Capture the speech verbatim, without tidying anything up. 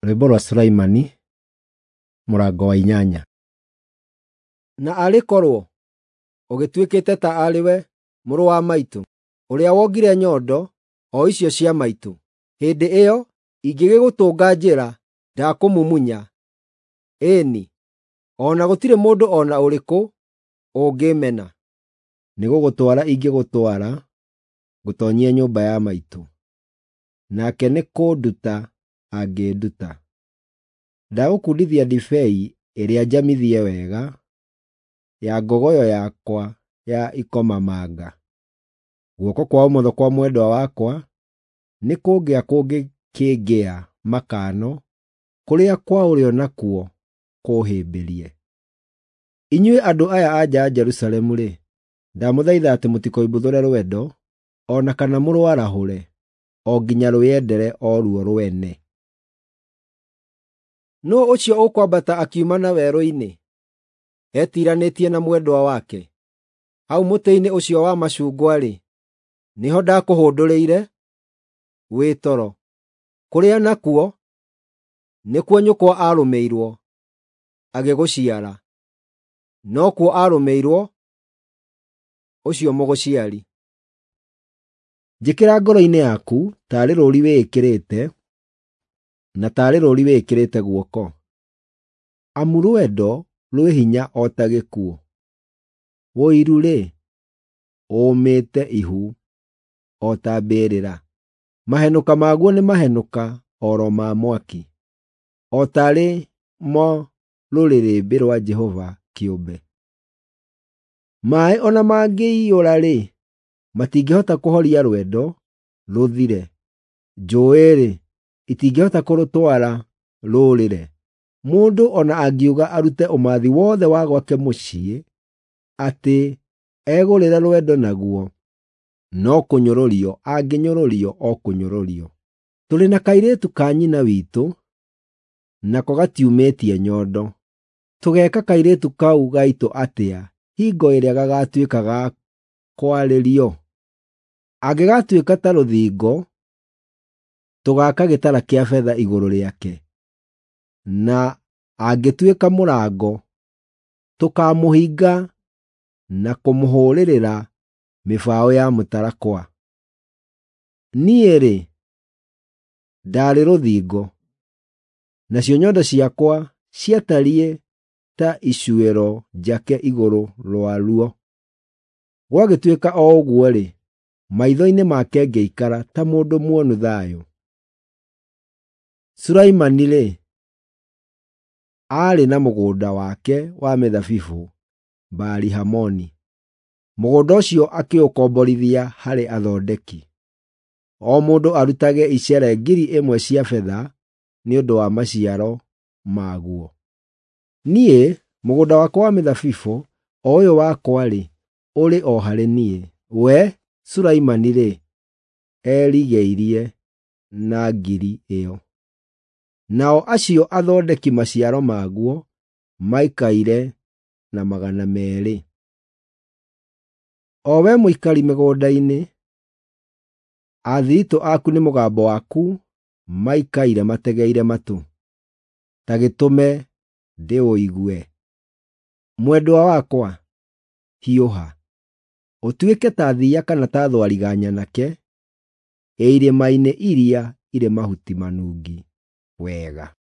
Rwĩmbo rwa Sulaimani, mũrango wa inyanya. Na arĩ korwo ũgĩtuĩkĩte ta arĩ we, mũrũ wa maitũ, ũrĩa wongire nyondo o icio cia maitũ! Hĩndĩ ĩyo ingĩgĩgũtũnga njĩra ndakũmumunya, ĩĩ-ni, o na gũtirĩ mũndũ o na ũrĩkũ ũngĩĩmena. Nĩgũgũtwara ingĩgũtwara ngũtoonyie nyũmba ya maitũ, nake nĩkũnduta angĩnduta. Ndagũkundithia ndibei ĩrĩa njamithie wega ya ngogoyo yakwa ya ikomamanga. Guoko kwa ũmotho kwa mwendwa wakwa nĩkũngĩa kũngĩkĩngĩa makano, kũrĩa kwa ũrĩo nakuo kũũhĩmbĩrie. Inyuĩ andũ aya a nja a Jerusalemu-rĩ, ndamũthaitha atĩ mũtikoimbuthũre rwendo, o na kana mũrwarahũre, o nginya rwĩyendere o ruo rwene. Nũũ ũcio ũkwambata akiuma na werũ-inĩ, etiranĩtie na mwendwa wake? Hau mũtĩ-inĩ ũcio wa macungwa-rĩ, nĩho ndakũhũndũrĩire wĩ toro, kũrĩa nakuo nĩkuo nyũkwa aarũmĩirwo agĩgũciara, nokuo aarũmĩirwo ũcio mũgũciari. Njĩkĩra ngoro-inĩ yaku taarĩ rũũri wĩĩkĩrĩte, na taarĩ rũũri wĩĩkĩrĩte guoko, amu rwendo rwĩ hinya o ta gĩkuũ, ũiru-rĩ, ũũmĩte ihu o ta mbĩrĩra. Mahenũka maguo nĩ mahenũka o ro ma mwaki, o taarĩ mo rũrĩrĩmbĩ rwa Jehova kĩũmbe. Maaĩ o na mangĩiyũra-rĩ, matingĩhota kũhoria rwendo rũthire; njũũĩ-rĩ, itingĩhota kũrũtwara rũũrĩre. Mũndũ o na angiuga arute ũmathi wothe wa gwake mũciĩ atĩ egũrĩre rwendo naguo, no kũnyũrũrio angĩnyũrũrio o kũnyũrũrio. Tũrĩ na kairĩtu ka nyina witũ, nako gatiumĩtie nyondo. Tũgeeka kairĩtu kau gaitũ atĩa hingo ĩrĩa gagaatuĩka ga kwarĩrio? Angĩgaatuĩka ta rũthingo, tũgaaka gĩtara kĩa betha igũrũ rĩake, na angĩtuĩka mũrango, tũkaamũhinga na kũmũhũũrĩrĩra mĩbaũ ya mũtarakwa. Niĩ-rĩ, ndaarĩ rũthingo, nacio nyondo ciakwa ciatariĩ ta icuĩro njake igũrũ rwaruo. Gwagĩtuĩka o ũguo-rĩ, maitho-inĩ make ngĩikara ta mũndũ muonu thayũ. Sulaimani-rĩ, aarĩ na mũgũnda wake wa mĩthabibũ Baali-Hamoni. Mũgũnda ũcio akĩũkomborithia harĩ athondeki, o mũndũ arutage icere ngiri ĩmwe cia betha nĩ ũndũ wa maciaro maguo. Niĩ, mũgũnda wakwa wa mĩthabibũ, o ũyũ wakwa-rĩ, ũrĩ o harĩ niĩ; we, Sulaimani-rĩ, erigeirie na ngiri ĩyo. Nao acio athondeki maciaro maguo maikaire na magana meerĩ. O we mũikari mĩgũnda-inĩ, athiritũ aku nĩ mũgambo waku maikaire mategeire matũ, ta gĩtũme ndĩũigue. Mwendwa wakwa, hiũha, ũtuĩke ta thiiya kana ta thwariga nyanake ĩ irĩma-inĩ iria irĩ mahuti manungi wega.